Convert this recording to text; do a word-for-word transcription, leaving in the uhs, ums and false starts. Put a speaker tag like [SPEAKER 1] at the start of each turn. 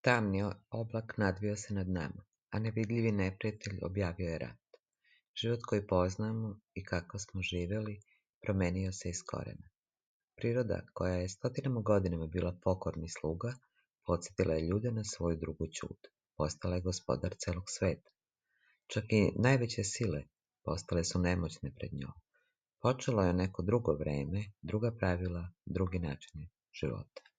[SPEAKER 1] Tamni oblak nadvio se nad nama, a nevidljivi neprijatelj objavio je rat. Život koji poznamo i kako smo živjeli promenio se iz korijena. Priroda, koja je stotinama godinama bila pokorni sluga, podsjetila je ljude na svoju drugu ćud. Postala je gospodar celog sveta. Čak i najveće sile postale su nemoćne pred njom. Počelo je neko drugo vreme, druga pravila, drugi načini života.